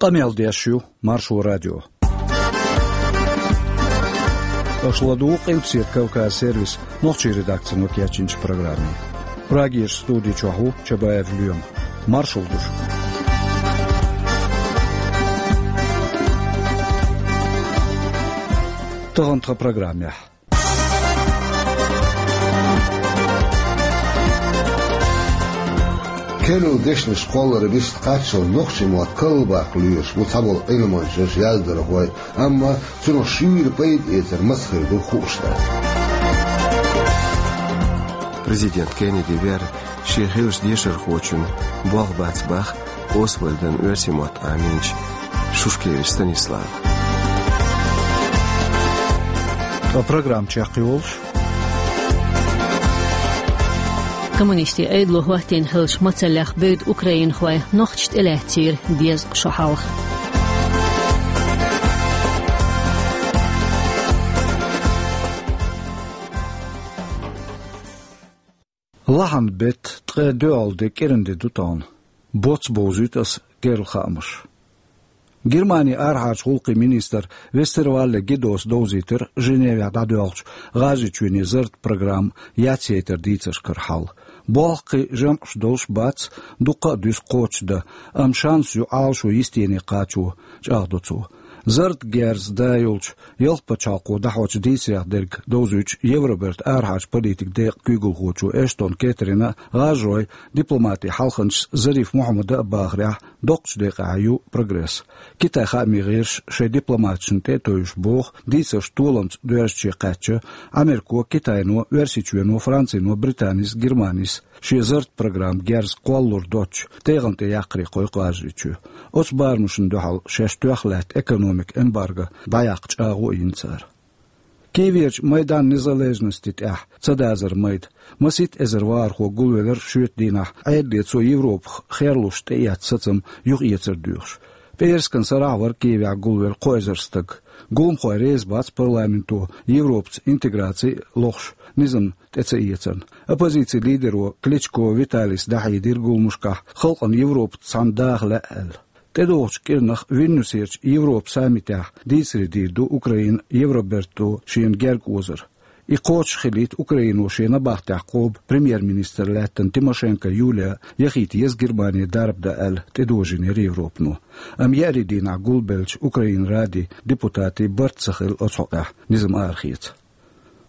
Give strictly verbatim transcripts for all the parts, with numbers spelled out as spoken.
Къамел деш ю Маршо радио. Аша ладугӀу Къилбаседа Кавказ сервисан нохчийн редакцино кечйинчу программе. Прагерчу студи чохь ву Чабаев Лоьма. Маршалла ду шуьга. Тахана тхан программехь. Керла дешнаш кхолларан бист кхаччалц нохчийн мотт карлабаккха лоьруш бу цхьаболу Ӏилманчаш, яздархой, амма цунах шуьйра пайда эцар маца хир ду хууш дац. Президент Кеннеди вер шен хиллачу дешархочун болх бац боху Освальдан оьрсийн мотт Ӏамийначу Шушкевич Станислава. Ткъа программа чекхйолуш. Коммунистийн Ӏедало хӀоттийна хиллачу мацаллех бевдда украинхой нохчашна тӀелаьцнера дезткъа шо хьалха. Лахьан беттан ткъе доьалгӀа де кӀиран де ду тахана. Боцца бовзуьйту аса керла хаамаш. Германин арахьарчу гӀуллакхийн министра Вестервалле Гидос довзийтира Женевехь дӀадоьлхучу ГӀажарийчоьнан зарратан программа яцъяйтаран дийцаршкара хьал. Болх кхин жамӀаш долуш бац, дуккха а дуьсу кхочушдан, амма шанс ю Ӏалашо йистене кхачо, чӀагӀдо цо. Зарратан герз да йолчу ялх пачхьалкхо дӀахьочу дийцарех дерг довзуьйтуш Евробертан арахьарчу политикан декъан куьйгалхочо Эштон Кэтрина а, гӀажарийн дипломатийн хьалханчас Зариф Мухьаммада а бахарехь, доккхачу декъехь ю прогресс. Китайн хаамийн гӀирсаш шайн дипломаташна тӀе а тевжаш боху, дийцарш толамца доьрзуче кхаьчча, Америко, Китайно, Оьрсийчоьно, Францино, Британис, Германис шен зарратан программан герз кхоллалур доцчу тӀегӀан тӀе яккхаре кхойкху ГӀажарийчоь. Оцу барамашна дуьхьал шаьш тоьхна лаьтта экономикан эмбарго дӀаяккха чӀагӀо а йина цара. Киеверчу Майдан Незалежности тӀехь ца дазара майда масийтта эзар вахархо гулвелира шоьтан дийнахь, Ӏедале цо Европах херлуш тӀеэцна сацам юхаэцар доьхуш. ПӀераскан сарахь вара Киевехь гулвелла кхо эзар стаг. Гуламхой реза бац парламенто Европаца интеграци а лохуш низам тӀе ца эцарна. Оппозицин лидеро Кличко Виталис дӀахьедира гуламашкахь, халкъана Европаца цхьаьна даха лаьа аьлла. ТӀедогӀучу кӀирнах Вильнюсерчу Европан саммитехь дийцаре дийр ду Украина Евроберто шена герга озар. И кхочуш хилийта Украино шен набахтехь кхобу премьер-министр лаьттина Тимошенко Юлия яхийта еза Германе дарба дан аьлла тӀедожийнера Европано. Амма еарин дийнахь гулбеллачу Украинан Радин депутатийн барт ца хилла оцу хьокъехь низам арахеца.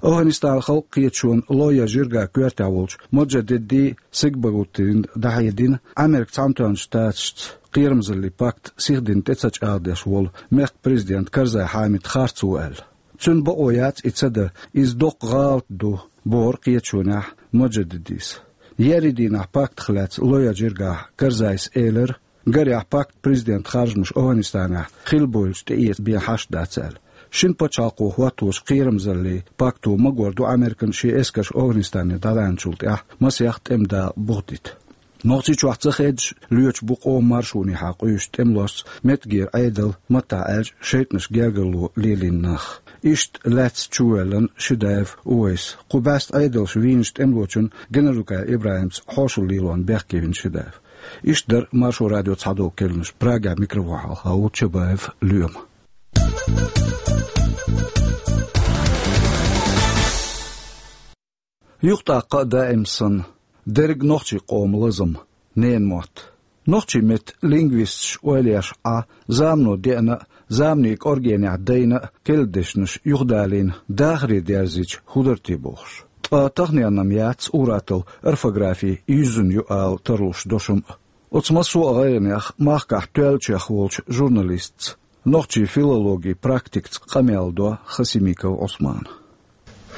АфгӀанистанан халкъан кхеташонан лоя жирган коьртехь волчу Моджадедди Сегбагутдина дӀахьедина, Американ Цхьаьнатоьхначу Штаташца кхерамзаллин пакт сихдина тӀе ца чӀагӀдеш волу мехкан президент Карзай Хьамид харц ву аьлла. Цуьнан бакъо яц и ца дан, иза доккха гӀалат ду, бохура кхеташонехь Моджадеддис. Еарин дийнахь пактах лаьцна лоя жиргахь Карзайс элира, гарехь пактан президентан харжамаш АфгӀанистанехь хилла бевлча тӀеэца бен хьашт дац аьлла. Шина пачхьалкхо хӀотточу кхерамзаллин пакто магор ду Американ шен эскарш АфгӀанистане дӀалаьцначул тӀаьхьа масех тӀеман дакъа бухадита. Нохчийчохь ца хедаш лоьцуш бу къоман маршонехьа къуьйсучу тӀемалошца меттигера Ӏедал, маттахь аьлча, шайтӀанаш гергарло лелийна нах. Иштта лаьцна чувоьллина Шидаев Увайс. Кху бӀаьста Ӏедалша вийначу тӀемалочун Геннадукай ИбрахӀимца хьошалла лелорна бехке вина Шидаев. Иштта дара Маршо радион цхьадолу керланаш. Прагехь микрофон хьалха ву Чабаев Лоьма. Юхатаккха а даим санна, дерриг нохчийн къоман лазам, ненан мотт. Нохчийн меттан лингвисташа ойла еш Ӏа, замано деана а, заманийн кӀоргенехь дайна а керла дешнаш юхадалийна, дахаре дерзийча хӀун дара те бохуш. Ткъа таханенна-м яц ур-атталла орфографи юьззина ю ала тарлуш дошам а. Оцу массо а гӀайгӀанех махкахь тоьллачех волчу журналистца, нохчийн филологин практикца къамел до Хасимиков Ӏусмана.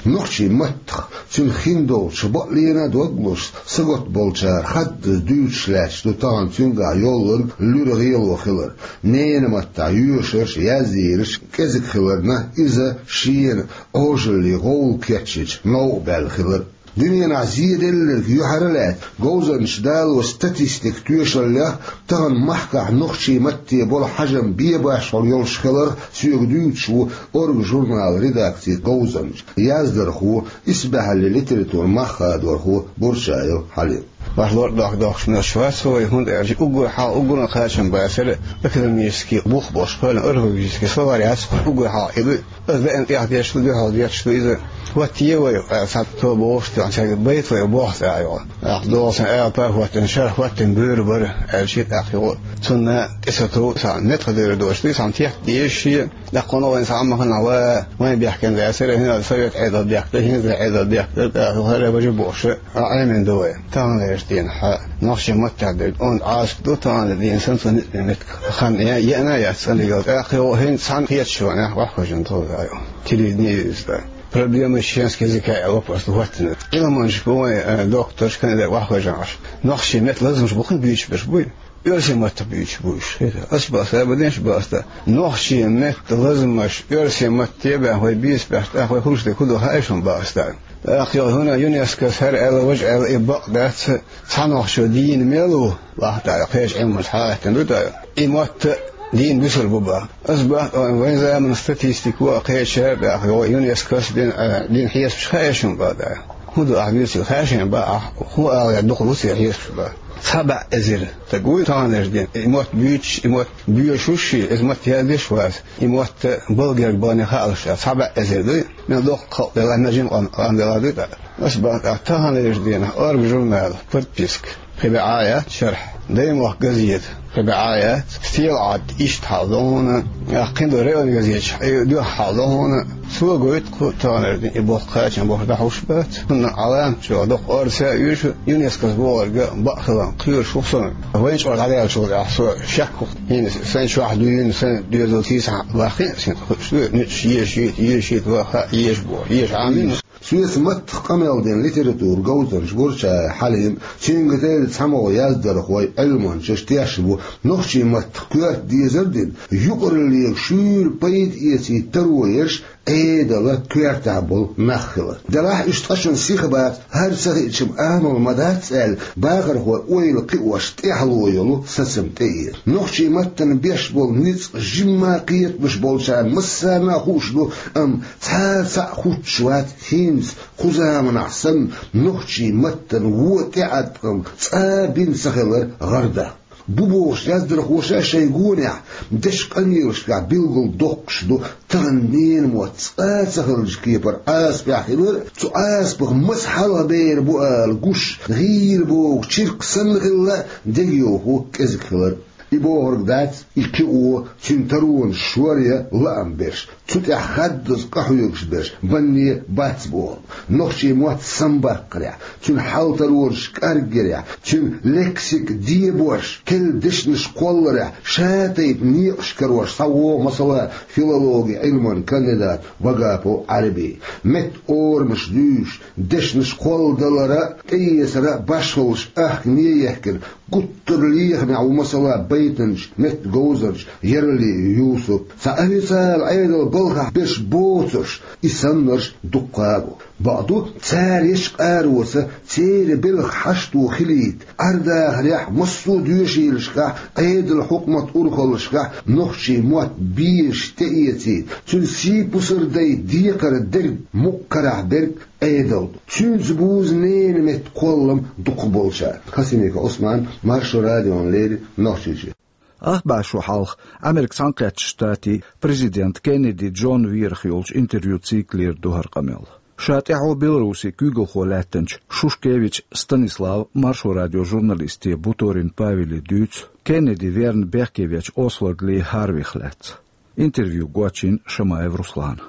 Нохчийн маттах, цуьнан хиндолчу бакъ лена а дог луш, сагатта болчара хаддаза дуьйцуш лаьтташ ду тахана цуьнгахь йоллург луьра гӀело хилар. Ненан маттахь йоьшурш, яздийраш кӀезиг хиларна, иза шена Ӏожаллин гӀовгӀа кечйича новкъа баьлла хилар. Дуьненахь зеделларг юьхьара лаьцна говзанчаш дало статистикан тоьшаллех, тахана махкахь нохчийн матте болу хьажам бен башхьур йолуш хиларх соьга дуьйцуш ву «Орга» журналан редакцин говзанча, яздархо, исбаьхьаллин литературан мах хадорхо Бурчаев Хьалим. Ваш лор дох дохш мел швацовый, хӀунда аьлча уггар хьал, уггарна кхачам бацара, экономический бух болуш, хӀалан орфографический словарь яц, уггар хьал и ду, аз веана тӀех деш ду, дуьхьал деш ду иза. Вот е вай, а, цхьа то бохуш, тӀехь цаьрга байт вай боху цӀа йо. Ах, долу сан ала пар хӀоттина, шарх хӀоттина буьйр бара, аьлча, тӀаккха йо. Цунна тӀе ца тов, цхьа метка дер дош ду, цхьа тетта дезаш шен, тӀаккха кхунна вайн цхьа а ма хана ва, вайн бехкан дацара, хӀинца совет Ӏедал бехк ду, хӀинца Ӏедал бехк ду, тӀаккха хӀара бажа бохуша, а, Ӏемина ду вай. Таханлераш дийна хьа, нохчийн маттахь дерг, онда Ӏазап ду, таханлера дийна сан цу ницкъ метка хан, я, яна яц цӀанигал, тӀаккха йо, хӀинца цхьаьна кхеташ ван, ваххожан тхо ю. Телевидение юзда. Проблема чеченского языка аьлла вопрос хӀоттина. Ӏилманчаш бу вайн, э, докторш, кандидат ваххожан Ӏаш. Нохчийн метта лазамаш бу хин буьйцуш берш буй. Оьрсийн маттахь буьйцуш буй уьш. Аса баса, ба деш баста. Нохчийн метта лазамаш оьрсийн матте баьхна вай бийца баьхна, тӀаккха вай хӀумаш де хӀу ду хаьа шуна баста. ТӀаккха йо хӀуна ЮНЕСКО-с хӀара аьлла, важа аьлла, и бакъ дац, цхьа нохчо дийна мел ву, вахта кхечу Ӏилманчаша хьахаьттина ду тӀаккха. И мотт дийна буьсур бу баха. Аса баха, вайн заманан статистика а кхечара тӀаккха, йо, ЮНЕСКО-с дина, а, дина хьесапаш хаьа шуна баха тӀаккха. ХӀун ду ахь буьйцург хаьа шуна баха, ахь хӀун ала дукха ву церан хьесапаш баха. Цхьа бӀе эзар стаг вуй таханлераш дийна. И мотт буьйцуш, и мотт боьшуш шен, иза мотт яздеш вац. И мотт балгерг бахане хаалаш, цхьа бӀе эзар дуй. Мел доккха халкъ делахь, мел жима къам, къам делахь дуй тӀаккха. Аса баха тӀаккха таханлераш дийна, орга журнал, подписка. Кхин бӀе Ӏа яц шарахь. Даймохк газета. Кхин бӀе Ӏа яц. Стелаӏад иштта хьал ду хьуна. Ахь кхин ду район газеташ, и дуьхьа хьал ду хьуна. Цо гойту кху таханара дийна и боккха кхачам бохуш дӀахьуш бац. ХӀунда Ӏаламат чохь доккха орца а оьшу, ЮНЕСКО-с бохург бакъ хиларна кхоьруш ву-кх со. Вайн чкъор дӀадаьллачул тӀаьхьа со шек ву-кх. ХӀинца сайн чохь дуьйна, сайн доьзал сийсахь баххина, сайн хуьлуш ду, нуьцкъаш ешийта, ешийта, ваха, еш боху, еш Ӏамийна. Соьца маттах къамел дина литература говзанча Гурчаев Хьалим, цуьнга тера цхьамогӀа яздархой, Ӏилманчаш тешна бу, нохчийн маттах коьрта дезар дина, юкъараллега шуьйра пайда эцийта таро ерш Ӏедалан коьртехь болу нах хилар. Делахь уьш ткъа шуна сиха бац, хӀара ца хиъча-м амал ма дац аьлла, бахархой ойла кхиош тӀаьхьало йолу сацам тӀеэца. Нохчийн маттана беш болу ницкъ жимма кхетамаш болчарна массарна а хууш ду, амма цхьа а цхьаъ хуттуш вац хӀинца, кху заманахь санна, нохчийн маттана вон тӀеӀаткъам цкъа а бина ца хилар гӀарда. Бу бохуш яздархоша шайн гонехь дешан къамелашкахь билггал доккхуш ду, тахана ненан мотт цкъа а ца хиллачу кепара Ӏазапехь хилар а, цу Ӏазапах маса хьалха бер бу ала гуш, гӀийра богу чиркх санна хилла а, дегайовхо кӀезиг хилар а. И бохург дац, и кхио, цуьнан таронаш шор я лаам берш, цу тӀехь хаддаза къахьоьгуш берш, банне бац бохург. Нохчийн мотт самабаккхарехь, цуьнан хьал-таронаш кӀаргъярехь, цуьнан лексика дебош, керла дешнаш кхолларехь, ша тайпа некъаш карош схьавогӀу, масала, филологи Ӏилман кандидат Вагапов Ӏаьрби. Меттан орамаш дуьйцуш, дешнаш кхолладалар а, тӀеэцар а башхаллаш ахкаме ехкина, гуттар а лехамехь ву, масала, байтанча, меттан говзанча Яралиев Юсуп. Цхьа официала Ӏедалан балхахь берш боцурш, и саннарш дуккха а бу. Бакъду, цара ечу къароца церан белхан хьашто хилийта, Ӏер-дахарехь, массо а доьшийлашкахь, Ӏедалан, хьукматан урхаллашкахь нохчийн мотт безаш тӀеэцийта, цуьнан сий-пусар дайта декхар дерг, мукъа карахь берг Ӏедал ду. Цуьнца бузу ненан меттан кхоллам дукхахболчарна. Хасимиков Ӏусман, Маршо радиона леррина, Нохчийчоь. Ах бӀе шо хьалха Америкин Цхьаьнакхеттачу Штатийн президент Кеннеди Джон верах йолчу интервью циклера ду хӀара къамел. Ша тӀаьхьо Беларусин куьйгалхо лаьттинчу Шушкевич Станислав Маршо радион журналисте Буторин Павеле дуьйцу Кеннеди верна бехке вечу Освальд Ли Харвих лаьцна. Интервью гочйина Шамаев Руслана.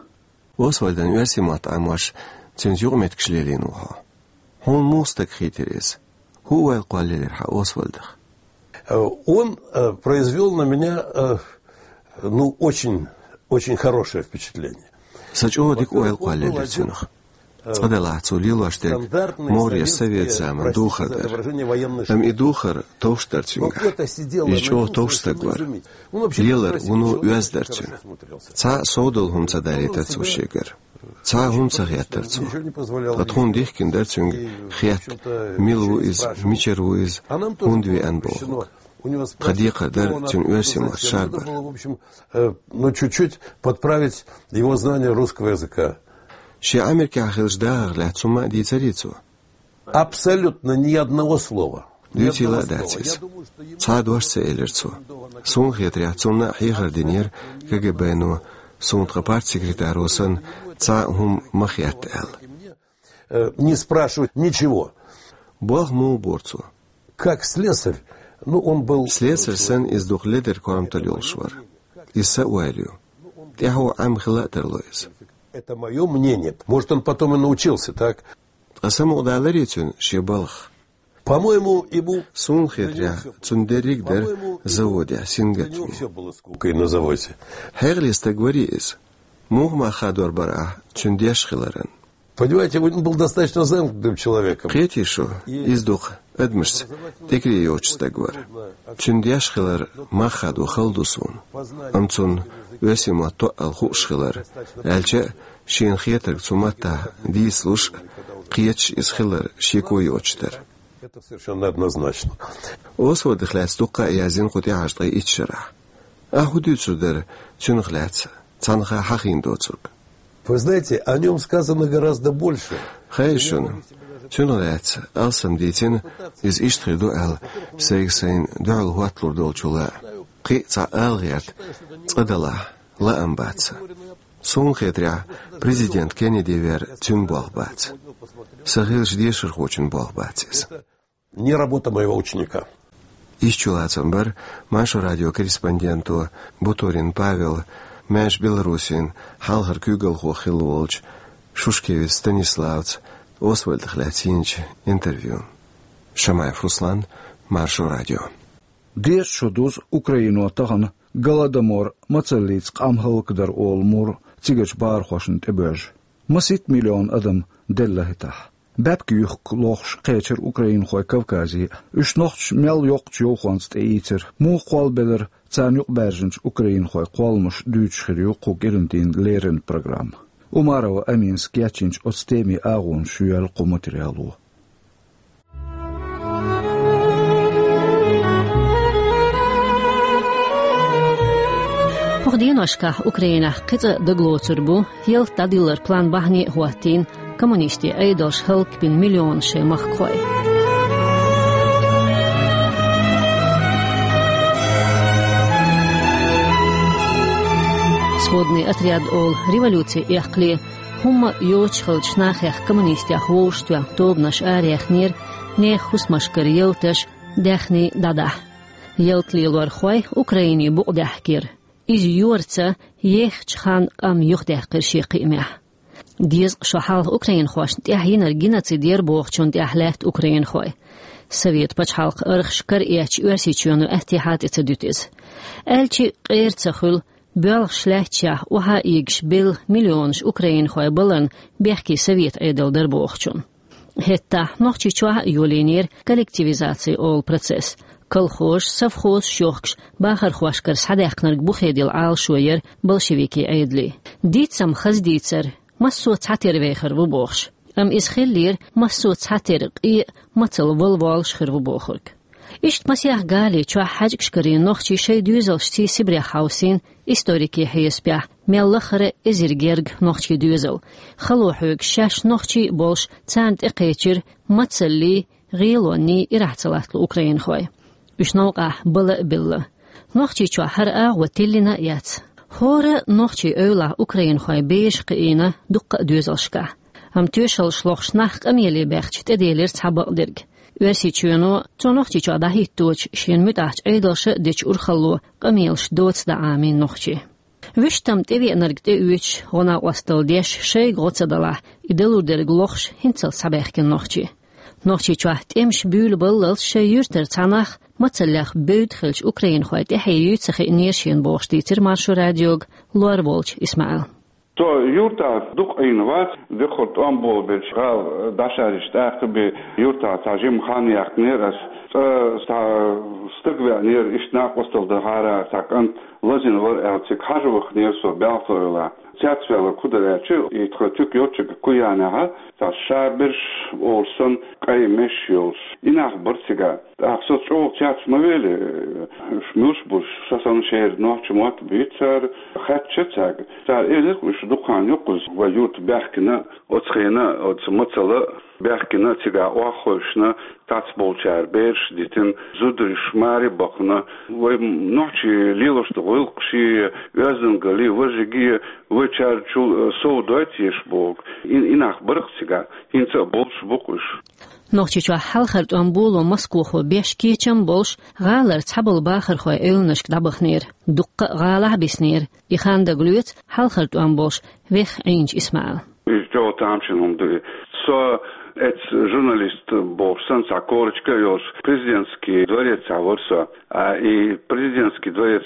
Освальдан оьрсийн мотт Ӏамош, цуьнца юкъаметтигаш лелийна ву хьо. Хьуна муха стаг хийтира иза? ХӀун ойла кхоллаелира хьан Освальдах? Э, он, э, произвёл на меня, э, ну, очень, очень хорошее впечатление. Сан чӀогӀа дика ойла кхоллаелира цуьнах. Цкъа делахь, цо лелош дерг могӀаре совет заманан духар дара. Амма и духар товш дара цуьнгахь. Иза чӀогӀа товш стаг вара. Лелар вуно оьзда дара цуьнан. Цхьа а сов долу хӀума ца далийтара цо шегара. Цхьа а хӀума ца хеттара цо. Ткъа тхуна дихкина дара цуьнга хетта, мила ву иза, мичара ву иза, хӀунда веана бохург. Тхан декхар дара цуьнан оьрсийн мотт шарбар. Э, ну, чуть-чуть подправить его знание русского языка. Шен Америкехь хиллачу дахарх лаьцна хӀума а дийцарий цо? Абсолютно ни одного слова. Ни Дуьйцийла а одного дац слова. Иза. Я думаю, что ему Цхьа а дош ца элира цо. Суна хетарехь, цунна а хьехар динера КГБ-но, суна тхан партсекретаро санна цхьа а хӀума ма хетта аьлла. Э, не спрашивать ничего. Болх муха бора цо? Как слесарь, ну, он был Слесарь санна иза дукха ледара корматалла йолуш вара. Иза сан ойла ю. ТӀаьхьо Ӏемма хила а тарло иза. Это моё мнение. Может, он потом и научился, так? Ткъа самукъадаларий цуьнан шен балхах? По-моему, ему Суна хетарехь, цунна дерриг а дара заводехь сингаттаме. Всё было скука и на заводе. Хьекъале стаг варий иза? Муха мах хадор бара ахь цуьнан деш хиларан? Понимаете, он был достаточно замкнутым человеком. Кхетий шу, иза дукха адамашца тӀекаре йоцуш стаг вара. Цуьнан деш хилар мах хадо хала ду суна. Амма цунна оьрсийн мотт тоъал хууш хилар, аьлча а, шена хетарг цу маттахь дийцалуш а, кхеташ иза хилар шеко йоцуш дара. Это совершенно однозначно. Освальдах лаьцна дуккха а яздина кху тӀаьхьарчу ткъе итт шарахь. Ахьа хӀун дуьйцур дара цунах лаьцна, цхьаннах а хьахийна доцург? Вы знаете, о нём сказано гораздо больше. Хаьий шуна, цунах лаьцна алсам дийцина, иза иштта хир ду аьлла, сайга сайна дуьхьал хӀотталур долчул а. Кхин а цхьа ала гӀерта цкъа далахь, лаам бац сан. Суна хетарехь, президент Кеннеди вер цуьнан болх бац. Сан хиллачу дешархочун болх бац иза. Не работа моего ученика. Иштта чулацам бара Маршо радион корреспонденто Буторин Павела, маьрша Беларусин хьалхара куьйгалхо хилла волчу Шушкевич Станиславца Освальдах лаьцна йинчу интервьюн. Шамаев Руслан, Маршо радио. Деза шо дузу Украино тахана Голодомор, мацаллица къам хӀаллакдар олу мур цигарчу бахархошна тӀебоьжна. Масийтта миллион адам делла хӀетахь. Баьпкан юххе лохуш кхечира украинхой Кавказе а. Уьш нохчаша мел йоккхачу йовхонца тӀеийцира. Муха кхоллабелира, царна юкъабаьржинчу украинхойн кхолламаш дуьйцуш хир ю кху кӀиран дийнан леррина программа. Умарова Аминас кечйинчу оцу темин агӀонаш йоьллу кху материало. ХӀокху деношкахь Украинехь кхин цкъа дагалоцур бу, ялта дӀадиллар план бахьане а хӀоттийна, коммунистийн Ӏедалша хӀаллакбина миллионаш шайн махкахой. Сводный отряд олу революци эккхале, хӀумма а йоцуш хиллачу нахех коммунистех вовшахтоьхна тобанаш араяьхнера, нехан хӀусамашкара ялташ, даьхний дӀадахьа. Ялта лелорхой Украине букъ даьхкира. Иза йорца ехачу ханна къам юхадаьккхира шен кхиамехь. Дезткъа шо хьалха украинхошна тӀехь йинарг геноцид яра бохучунна тӀехь лаьтта украинхой. Совет пачхьалкхан архаш кара эцча, Оьрсийчоьно аьттехьа тӀе ца дуьту иза. Аьлча а къера ца хуьлу, боьлхуш лаьтташехь охьа а йигаш белла миллионаш украинхой баларна бехке совет Ӏедал дара бохучунна. ХӀетахь Нохчийчохь а йолийнера коллективизаци олу процесс. Колхозаш, совхозаш йохкуш, бахархошкара схьадаьккхинарг бухедила Ӏалашо яра большевикийн Ӏедалан. Дийцам хаза дийцар, массо а цхьатерра вехар ву бохуш. Амма иза хиллера массо а цхьатерра къе а, мацалла вала воллуш хир ву бохург. Иштта масех гали чохь хьаьжкӀашкарийн нохчий шайн доьзалшций Сибрех хьовсийна, историкийн хьесапехь, мел лахара эзар гергга нохчийн доьзал. Хало хьоьгуш шаьш нохчий а болуш, царна тӀекхечира мацаллий, гӀелонний ирахь ца латтало украинхой. Уьш новкъахь бала а белла. Нохчийчохь хӀара агӀо тиллина а яц. ХӀора нохчийн эвлахь украинхой бежа кхиийна дуккха а доьзалшкахь. Амма тоьшаллаш лохуш нах къамеле баьхча, тӀеделира цхьа бакъдерг. Оьрсийчоьно, цо Нохчийчохь дӀахӀитточу шена муьтӀахьчу Ӏедалша а дечу урхалло къамелаш доца дӀа Ӏамийна нохчийн. Вуьштам тӀевеанарг тӀеоьцуш, гӀо-накъосталла деш, шайга гӀо ца далахь, и далур дерг лохуш, хӀинццалц схьабаьхкина нохчий. Нохчийчохь тӀемаш буьйлабаллалц шайн юьртара цхьа нах мацаллех бевдда хиллачу украинхойн тӀаьхье юй ца хиънера шена бохуш дийцира Маршо радиога Лор волчу ИсмаӀила. Со юьртахь дукха Ӏийна вац, дукхахьара тӀом болабелча гӀала дӀашаржича тӀаккха бен юьртахь цхьа жима хан яьккхинера ас. Цкъа цхьа стаг веанера, иштта накъосталла дан хьара цхьа кӀант лазийна вара аьлла, цига хьажа ваханера со, баьлла со эвлахь. Цецвелар кху дар аьлча, и тха туька йолча Куянехьа, цхьа шарберш олуш санна, къай меш йолуш. И нах бара цига. ТӀаккха со чӀогӀа цец ма вели, уьш муьлш бу, со санна шеран нохча мотт буьйцу цара, хаьттича цаьрга. Цара элира, уьш дукха хан ю кхуза вай юрта баьхкина, оцу хенахь оцу мацалла баьхкина, цигахь охьахевшина, цхьаболчара бераш дитина, зударий маре бахана, вай нохчий лелош долу гӀиллакхаш, оьздангаллий, важарий, вай царчул сов дойту еш боху. И, и нах бара-кх цигахь, хӀинца а болуш бу-кх уьш. Нохчийчохь хьалхара тӀом боло Москвахо беш кечам болуш, гӀалара цхьаболу бахархойн эвланашка дӀабаханера. Дуккха а гӀалахь а биснера. И хан дагалоьцу хьалхара тӀом болуш Веха Ӏийначу Исмаила. Иза чӀогӀа тамашийна хӀума ду и. Со эцу журналист бохуш санна, цхьа корочка а йолуш, президентский дворецехь вара со. А и президентский дворец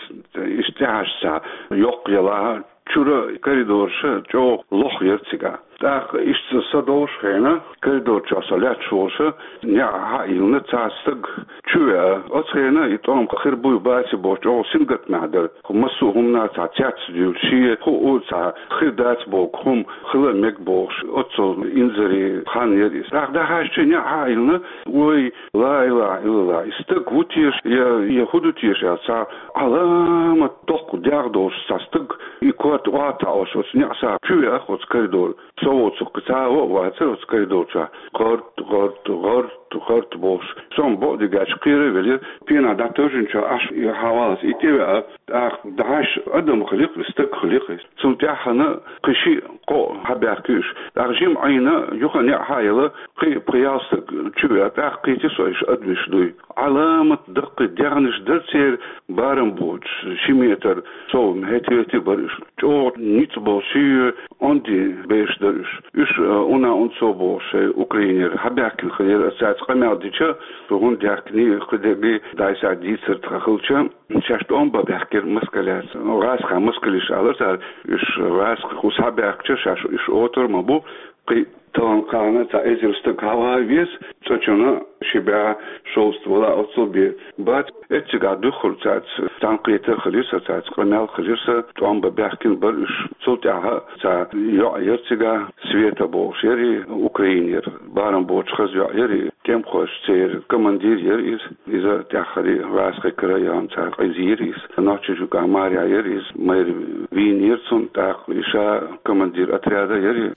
иштта тӀехьашца йоккха ялахь, чуьра коридораш чӀогӀа лоха яра цигахь. ТӀаккха иштта со долуш хенахь, коридор чохь со лаьтташ волуш, неӀ хьа а йиллина, цхьа стаг чу веа. Оцу хенахь и тӀом хир буй баций бохуш, чӀогӀа сингаттамехь дара. Массо а хӀуманах цхьа цец дуьйлуш, шен хӀуъа цхьа хир дац боху хӀума хила а мега бохуш, оццул инзаре хан яра иза. ТӀаккха дӀахьаьжча, неӀ хьа а йиллина, вай, ла илахьа иллаллахӀ, и стаг ву теша, я, я хӀун ду теша аьлла, цхьа Ӏаламат доккха дегӀ долуш цхьа стаг, и корта охьа а таӀош, оцу неӀ схьа чу веа оцу коридор. Со воцург кхин цхьа а ван а вацара оцу коридор чохь. ГӀорт, гӀорт, гӀорт, гӀорт бохуш. Со-м бакъдерг аьлча кхера а велира. Пенах дӀатевжинчохь Ӏаш и хьаваллалц и тӀевеа, тӀаккха дӀахьаьжча адам хили-кх, стаг хили-кх. Цунна тӀаьххьана кхин шиъ, кхоъ хьабаьхкира уьш. ТӀаккха жима Ӏийна, юха неӀ хьа а елла, кхин а пхи-ялх стаг чу веа, тӀаккха кхийтира со, уьш адамаш дуй. Ӏаламат даккхий дегӀнаш дара церан, барам боцуш, ши метр сов, хӀетте-хӀетте бара уьш. ЧӀогӀа ницкъ болуш, ши онда бераш дара уьш. Уьш, э, уна-унцо бохуш, шайн Украинера хьабаьхкина хилира, аса цаьрца къамел дича, шу хӀунда даьхкиний, кхидерг дӀасадийцар тхан хилча, шаьш тӀом бан баьхкира москаляца. ГӀазкхийн москалаша алара цара, уьш гӀазкхий хӀусса хьабаьхкича, шаьш уьш отар а ма бу, кхин таллам кхаьллина цхьа эзар стаг хьаван веза, цӀа чунна ши бӀе шовзткъа вала оццул бен бац. Эццигахь дуьххьара цаьрца цхьаьнакхетар хилира сан, цаьрца къамел хилира сан, тӀом бан баьхкина бара уьш. Цул тӀаьхьа цхьа йоӀ яра цигахь, Света бохуш яра и, Украинера барам боцуш хаза йоӀ яра и, тӀемахойн церан командир яра иза. Иза тӀаьххьара гӀазкхийн крайонца къиза йира иза. Нохчийчу юкъахь марехь яра иза, майра вийнера цунна, тӀаккха и ша командир отряда яра и.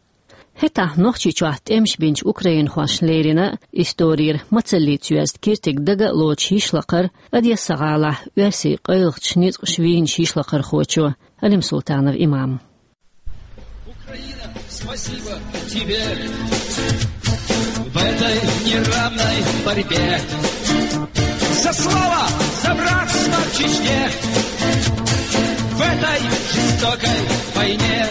ХӀетахь Нохчийчохь тӀемаш бинчу украинхошна леррина а, исторера мацаллица йоьзна киртиг дага а лоцуш йишлакхара, Одесса-гӀалахь оьрсийн къайлахчу ницкъаша вийначу йишлакхархочо Алим-Султанов Имама. Украина, спасибо тебе в этой неравной борьбе. За слово, за братство в Чечне, в этой жестокой войне.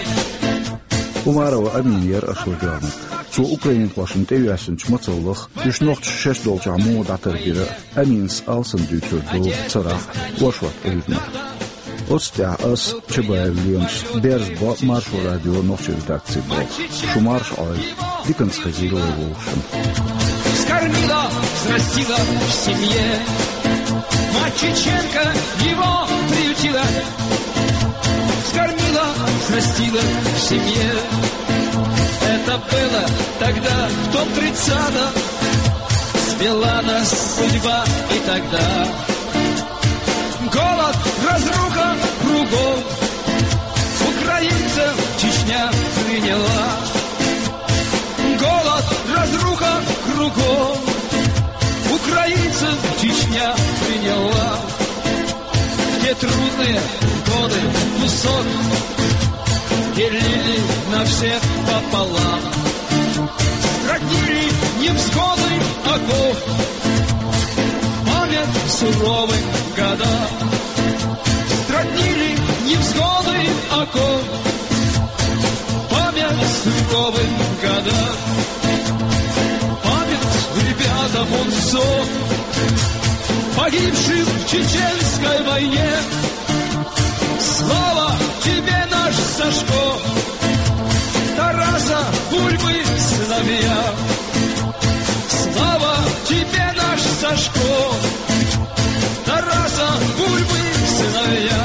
Умарова Амина яра аша вагӀаниг. Цо украинхошна тӀеоьссинчу мацаллах, уьш нохчаша шаьш долчохь муха дӀатарбира, Аминас алсам дуьйцур ду царах оршот Ӏуьйранна. Оцу тӀехь ас, Чабаев Лемас, берза бо Маршо радион нохчийн редакци болх. Шу марша Ӏойла, диканца хезийла вай вовшашна. Скормила, взрастила в семье. Мать чеченка его приютила. Скормила, взрастила в семье. Это было тогда, в том тридцатом. Свела нас судьба и тогда. Голод, разруха кругом. Украинцев Чечня приняла. Голод, разруха кругом. Украинцев Чечня приняла. Те трудные годы кусок делили на всех пополам. Роднили невзгоды оков, память суровым годам. Роднили невзгоды оков, память суровым годам. Память ребятам УНСО, погибшим в чеченской войне. Слава тебе, наш Сашко, Тараса Бульбы сыновья. Слава тебе, наш Сашко, Тараса Бульбы сыновья.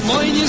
Мой не